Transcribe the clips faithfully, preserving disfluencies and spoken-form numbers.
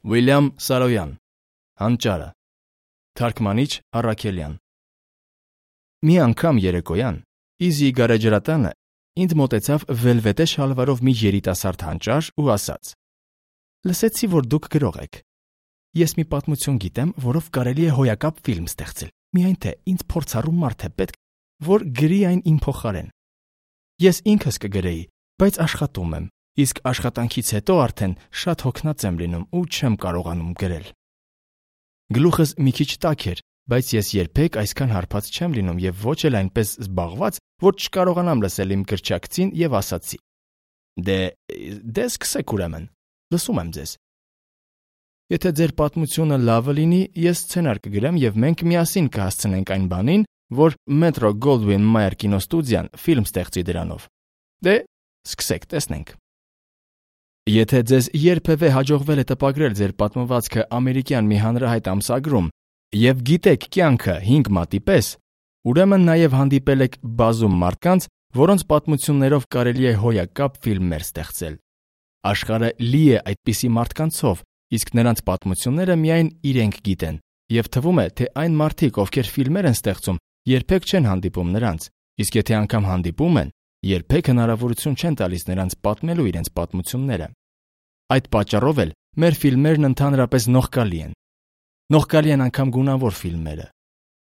Վիլյամ Սարոյան, Հանճարը, թարգմանիչ Առաքելյան։ Մի անգամ երեկոյան Իզի գարեջրատանը ինձ մոտեցավ վելվետե շալվարով մի երիտասարդ հանճար ու ասաց. «Լսեցի, որ դուք գրող եք։ Ես մի պատմություն գիտեմ, որով կարելի է հոյակապ ֆիլմ ստեղծել, միայն թե ինձ փորձառու մարդ է պետք, որ գրի այն իմ փոխարեն։ Ես ինքս կգրեի, բայց աշխատում եմ, իսկ աշխատանքից հետո արդեն շատ հոգնած եմ լինում ու չեմ կարողանում գրել»։ Գլուխս մի քիչ տաք էր, բայց ես երբեք այսքան հարբած չեմ լինում եւ ոչ էլ այնպես զբաղված, որ չկարողանամ լսել իմ գրչակցին եւ ասացի. «Դե, դե սկսեք ուրեմն, լսում եմ ձեզ։ Եթե ձեր պատմությունը լավը լինի, ես սցենար կգրեմ եւ մենք միասին կհասցնենք այն բանին, որ Metro Goldwyn Mayer կինոստուդիան ֆիլմ ստեղծի դրանով։ Դե, սկսեք, տեսնենք»։ Եթե ձեզ երբևէ հաջողվել է տպագրել ձեր պատմվածքը ամերիկյան մի հանրահայտ ամսագրում եւ գիտեք կյանքը հինգ մատի պես, ուրեմն նաեւ հանդիպել եք բազում մարդկանց, որոնց պատմություններով կարելի է հոյակապ ֆիլմեր ստեղծել։ Աշխարհը լի է այդպիսի մարդկանցով, իսկ նրանց պատմությունները միայն իրենք գիտեն, եւ թվում է, թե այն մարդիկ, ովքեր ֆիլմեր են ստեղծում, երբեք չեն հանդիպում նրանց, իսկ եթե անգամ հանդիպում են, երբեք հնարավորություն չեն տալիս նրանց պատմելու իրենց պատմությունները։ Այդ պատճառով էլ մեր ֆիլմերն ընդհանրապես նողկալի են։ Նողկալի են անգամ գունավոր ֆիլմերը,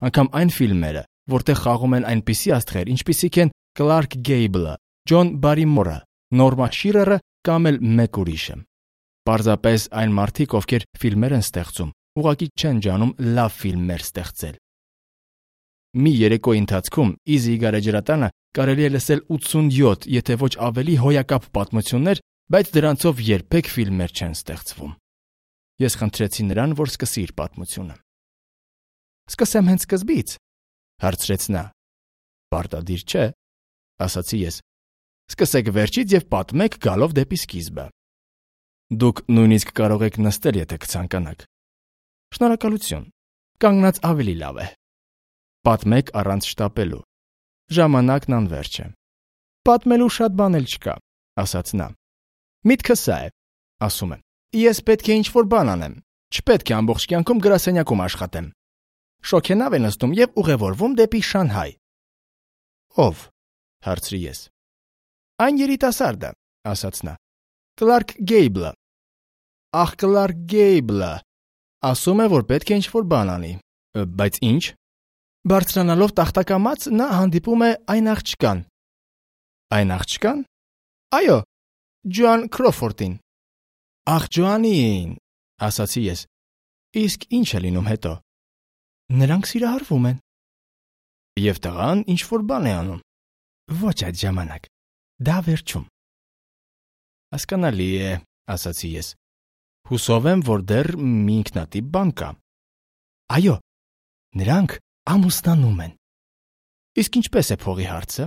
անգամ այն ֆիլմերը, որտեղ խաղում են այնպիսի աստղեր, ինչպիսիք են Կլարկ Գեյբլը, Ջոն Բարիմորը, Նորմա Շիրերը կամ էլ մեկ ուրիշը։ Պարզապես այն մարդիկ, ովքեր ֆիլմեր են ստեղծում, ուղղակի չեն ջանում լավ ֆիլմեր ստեղծել։ Մի երեկոյի ընթացքում Իզի գարեջրատանը կարելի է լսել ութսունյոթ, եթե ոչ ավելի հոյակապ պատմություններ, բայց դրանցով երբեք ֆիլմեր չեն ստեղծվում։ Ես խնդրեցի նրան, որ սկսի իր պատմությունը։ «Սկսեմ հենց սկզբից», հարցրեց նա։ «Պարտադիր չէ», ասացի ես։ «Սկսեք վերջից եւ պատմեք գալով դեպի սկիզբը։ Դուք նույնիսկ կարող եք նստել, եթե կցանկանաք»։ «Շնորհակալություն, կանգնած ավելի լավ է»։ «Պատմեք առանց շտապելու։ Ժամանակն անվերջ է»։ «Պատմելու շատ բան էլ չկա», ասաց նա։ «Միտքը սա է», ասում եմ։ «Ես պետք է ինչ-որ բան անեմ։ Չպետք է ամբողջ կյանքում գրասենյակում աշխատեմ։ Շոգենավ է նստում եւ ուղևորվում դեպի Շանհայ»։ «Ով», հարցրի ես։ «Այն երիտասարդը», ասաց նա։ «Կլարկ Գեյբլը»։ «Ախ, Կլարկ Գեյբլը։ Ասում է, որ պետք է ինչ-որ բան անի։ Բայց ինչ»։ Բարձրանալով տախտակամած նա հանդիպում է այն աղջկան։ «Այն աղջկան»։ «Այո, Ջոան Քրոֆորդին»։ «Ախ, Ջոանին», ասացի ես։ «Իսկ ինչ է լինում հետո»։ «Նրանք սիրահարվում են»։ «Եվ տղան ինչ-որ բան է անում»։ «Ոչ այդ ժամանակ։ Դա վերջում»։ «Հասկանալի է», ասացի ես։ «Հուսով եմ, որ դեռ մի ինքնատիպ բան կա»։ «Այո, նրանք ամուսնանում են»։ «Իսկ ինչպես է փողի հարցը։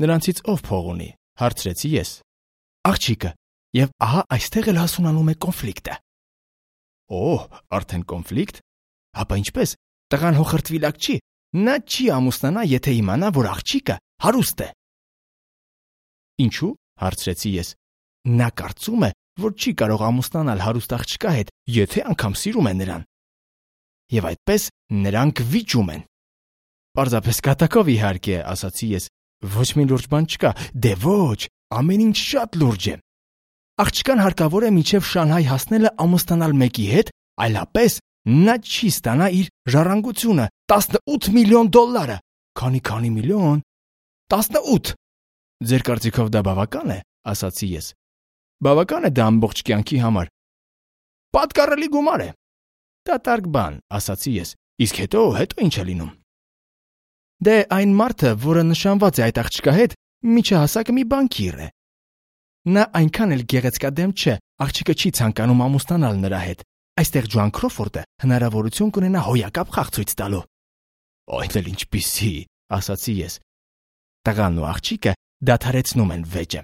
Նրանցից ով փող ունի»։ Հարցրեցի ես։ «Աղջիկը, եւ ահա այստեղ էլ հասունանում է կոնֆլիկտը»։ «Օհ, արդեն կոնֆլիկտ։ Հապա ինչպես։ Տղան հոխրտվիլակ չի։ Նա չի ամուսնանա, եթե իմանա, որ աղջիկը հարուստ է»։ «Ինչու»։ Հարցրեցի ես։ «Նա կարծում է, որ չի կարող ամուսնանալ հարուստ աղջկա հետ, եթե անգամ սիրում է նրան։ Եվ այդպես նրանք վիճում են»։ «Պարզապես կատակով իհարկե», ասացի ես։ «Ոչ մի լուրջ բան չկա։ Դե ոչ, ամեն ինչ շատ լուրջ է։ Աղջկան հարկավոր է մինչև Շանհայ հասնելը ամուսնանալ մեկի հետ, այլապես նա չի ստանա իր ժառանգությունը՝ տասնութ միլիոն դոլարը»։ «Քանի քանի միլիոն»։ «տասնութ»։ «Ձեր կարծիքով դա բավական է», ասացի ես։ «Բավական է դա ամբողջ կյանքի համար»։ «Պատկառելի գումար է»։ «Դատարկ բան», ասացի ես։ «Իսկ հետո, հետո ինչ է լինում»։ «Դե այն մարդը, որը նշանված է այդ աղջկա հետ, միջահասակ մի բանկիր է։ Նա այնքան էլ գեղեցկադեմ չէ, աղջիկը չի ցանկանում ամուսնանալ նրա հետ։ Այստեղ Ջոան Քրոֆորդը հնարավորություն կունենա հոյակապ խաղ ցույց տալու»։ «Այն էլ ինչպիսի», ասացի ես։ Տղան ու աղջիկը դադարեցնում են վեճը։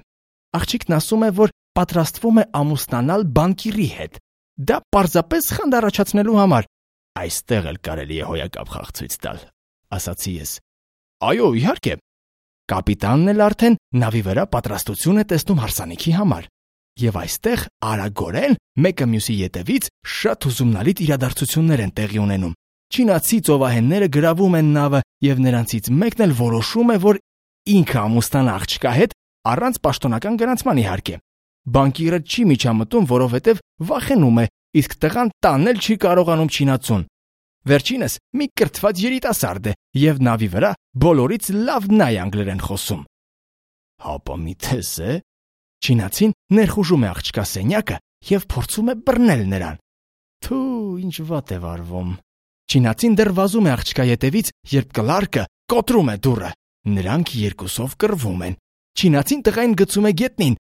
Աղջիկն ասում է, որ պատրաստվում է ամուսնանալ բանկիրի հետ։ Դա պարզապես խանդ առաջացնելու համար։ «Այստեղ էլ կարելի է հոյակապ խաղ ցույց տալ», ասացի ես։ «Այո, իհարկե»։ Կապիտանն էլ արդեն նավի վրա պատրաստություն է տեսնում հարսանիքի համար։ եւ այստեղ արագորեն մեկը մյուսի ետևից շատ ուսումնալից իրադարձություններ են տեղի ունենում։ Չինացի ծովահենները գրավում են նավը եւ նրանցից մեկն էլ որոշում է, որ ինքը ամուսնանա աղջկա հետ առանց պաշտոնական գրանցման իհարկե։ Բանկիրը չի միջամտում, որովհետեւ վախենում է, իսկ տղան տանել չի կարողանում չինացուն։ Վերջինս մի կրթված երիտասարդ է եւ նավի վրա բոլորից լավ նա է անգլերեն խոսում։ Հապա մի թես է։ Չինացին ներխուժում է աղջկա սենյակը եւ փորձում է բռնել նրան։ Թու, ինչ վատ է վարվում։ Չինացին դեռ վազում է աղջկա ետևից, երբ կլարկը կոտրում է դուռը։ Նրանք երկուսով կռվում են։ Չինացին տղային գցում է գետնին,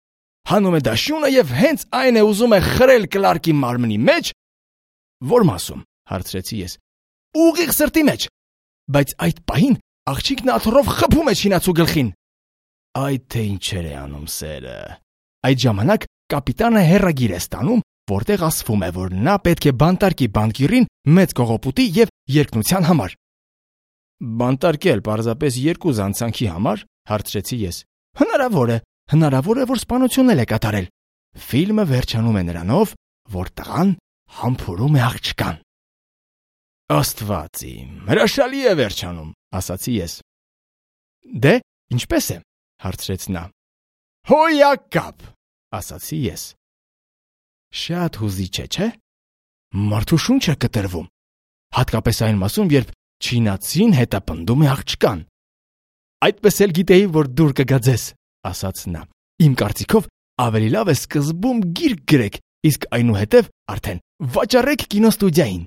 հանում է դաշյունը եւ հենց այն է ուզում է խրել կլարկի մարմնի մեջ։ Որ մասում, հարցրեցի ես։ Ուղիղ սրտի մեջ։ Բայց այդ պահին աղջիկն աթոռով խփում է չինացու գլխին։ Այ թե ինչեր է անում սերը։ Այդ ժամանակ կապիտանը հերագիր է ստանում, որտեղ ասվում է, որ նա պետք է բանտարկի բանկիրին մեծ կողոպուտի եւ երկնության համար։ Բանտարկել պարզապես երկու զանցանքի համար, հարցրեցի ես։ Հնարավոր է, հնարավոր է, որ սպանությունել է կատարել։ Ֆիլմը վերջանում է նրանով, որ տղան համբուրում է աղջկան։ Աստված իմ, հրաշալի է վերջանում, ասացի ես։ Դե, ինչպես է, հարցրեց նա։ Հոյակապ, ասացի ես։ Շատ հուզիչ է, չէ՞։ Մարդու շունչը կտրվում, հատկապես այն մասում, երբ չինացին հետապնդում է աղջկան։ Այդպես էլ գիտեի, որ դուր կգա ձեզ, ասաց նա։ Իմ կարծիքով ավելի լավ է սկզբում գիրք գրեք, իսկ այնուհետև արդեն վաճառեք կինոստուդիային։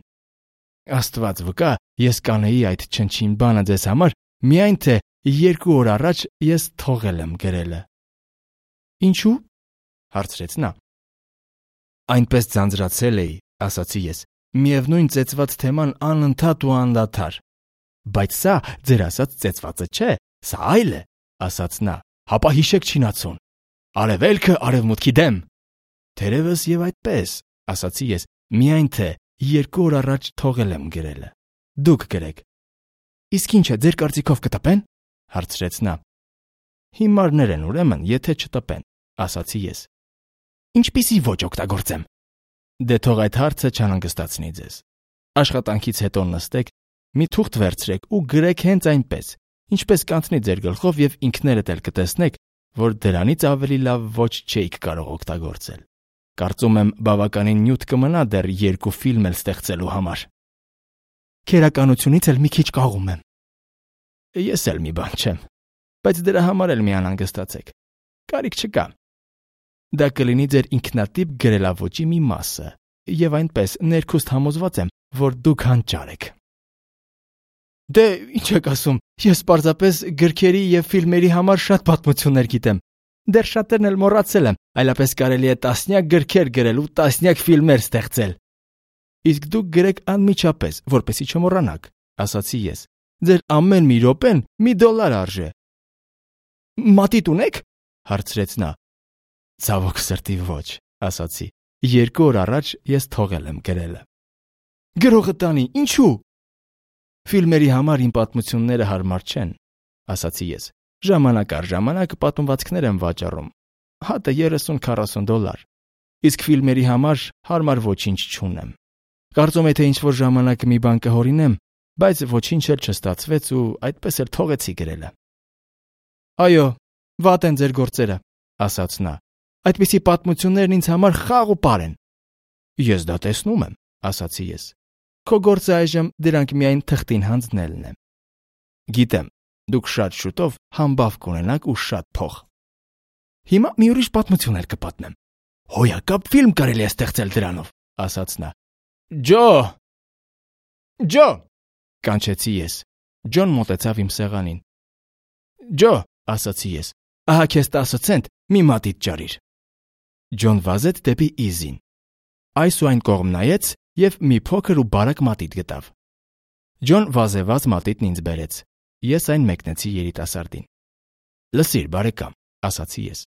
Աստված վկա, ես կանեի այդ չնչին բանը ձեզ համար, միայն թե երկու օր առաջ ես թողել եմ գրելը։ Ինչու՞, հարցրեց նա։ Այնպես ձանձրացել էի, ասացի ես, միևնույն ծեծված թեման անընդհատ ու անդադար։ Բայց սա ձեր ասած ծեծվածը չէ, սա այլ է, ասաց նա, հապա հիշեք չինացուն։ Արևելքը արևմուտքի դեմ։ Թերևս եւ այդպես, ասացի ես, միայն թե երկու օր առաջ թողել եմ գրելը։ Դուք գրեք։ Իսկ ինչ է, ձեր կարծիքով կտպեն, հարցրեց նա։ Հիմարներ են ուրեմն, եթե չտպեն, ասացի ես։ Ինչպիսի ոչ օգտագործեմ։ Դե թող այդ հարցը չանհանգստացնի ձեզ։ Աշխատանքից հետո նստեք, մի թուղթ վերցրեք ու գրեք հենց այնպես, ինչպես կանցնի ձեր գլխով եւ ինքներդ էլ կտեսնեք, որ դրանից ավելի լավ ոչ չէիք կարող օգտագործել։ Կարծում եմ բավականին նյութ կմնա դեռ երկու ֆիլմ էլ ստեղծելու համար։ Քերականությունից էլ մի քիչ կաղում եմ։ Ես էլ մի բան չեմ, բայց դրա համար էլ մի անհանգստացեք։ Կարիք չկա։ Դա կլինի ձեր ինքնատիպ գրելավոճի մի մասը, եւ այնպես ներքուստ համոզված եմ, որ դուք հանճար եք։ Դե, ինչ եք ասում, ես պարզապես գրքերի եւ ֆիլմերի համար շատ պատմություններ գիտեմ։ Դեռ շատերն էլ մոռացել եմ, այլապես կարելի է տասնյակ գրքեր գրել ու տասնյակ ֆիլմեր ստեղծել։ Իսկ դուք գրեք անմիջապես, որպեսզի չմոռանաք, ասացի ես։ Ձեր ամեն մի րոպեն մի դոլար արժե։ Մատիտ ունեք, հարցրեց նա։ Ցավոք սրտի ոչ, ասացի։ Երկու օր առաջ ես թողել եմ գրելը։ Գրողը տանի, ինչու՞։ Ֆիլմերի համար իմ պատմությունները հարմար չեն, ասացի ես։ Ժամանակ առ ժամանակ պատմվածքներ եմ վաճառում։ Հատը երեսուն-քառասուն դոլար։ Իսկ ֆիլմերի համար հարմար ոչինչ չունեմ։ Կարծում եմ, թե ինչ-որ ժամանակ մի բան կհորինեմ, բայց ոչինչ էլ չստացվեց ու այդպես էլ թողեցի գրելը։ Այո, վատ են ձեր գործերը, ասաց նա։ Այդպիսի պատմություններն ինձ համար խաղ ու պար են։ Ես դա տեսնում եմ, ասացի ես։ Քո գործը այժմ դրանք միայն թղթին հանձնելն է։ Գիտեմ, դուք շատ շուտով համբավ կունենաք ու շատ փող։ Հիմա մի ուրիշ պատմություն էլ կպատմեմ։ Հոյակապ ֆիլմ կարելի է ստեղծել դրանով, ասաց նա։ Ջո! Ջո! Կանչեցի ես։ Ջոն մոտեցավ իմ սեղանին։ Ջո, ասացի ես, ահա քեզ տասը ցենտ, մի մատիտ ջարիր։ Ջոն վազեց դեպի Իզին։ Այս ու այն կողմ նայեց եւ մի փոքր ու բարակ մատիտ գտավ։ Ջոն վազեված մատիտն ինձ բերեց։ Ես այն մեկնեցի երիտասարդին։ Լսիր, բարեկամ, ասացի ես։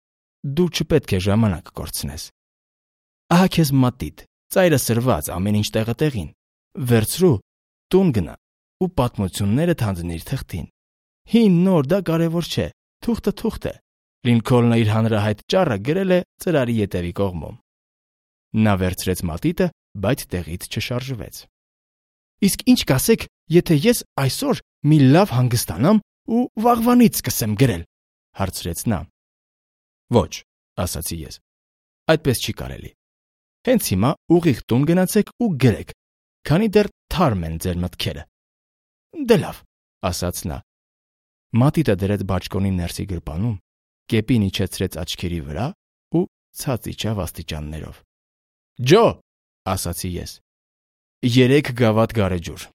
Դու չպետք է ժամանակ կորցնես։ Ահա քեզ մատիտ, ծայրը սրված, ամեն ինչ տեղը տեղին։ Վերցրու, տուն գնա ու պատմություններդ հանձնիր թղթին։ Հին նոր դա կարևոր չէ, թուղթը թուղթ է։ Լինքոլնը իր հանրահայտ ճառը գրել է ծրարի ետևի կողմում։ Նա վերցրեց մատիտը, բայց տեղից չշարժվեց։ Իսկ ինչ կասեք, եթե ես այսօր մի լավ հանգստանամ ու վաղվանից սկսեմ գրել, հարցրեց նա։ Ոչ, ասացի ես։ Այդպես չի կարելի։ Հենց հիմա ուղիղ տուն գնացեք ու գրեք, քանի դեռ թարմ են ձեր մտքերը։ Դե լավ, ասաց նա։ Մատիտը դրեց բաճկոնի ներսի գրպանում, կեպին իջեցրեց աչքերի վրա ու ցած իջավ աստիճաններով։ Ջո, ասացի ես։ Երեք գավաթ գարեջուր։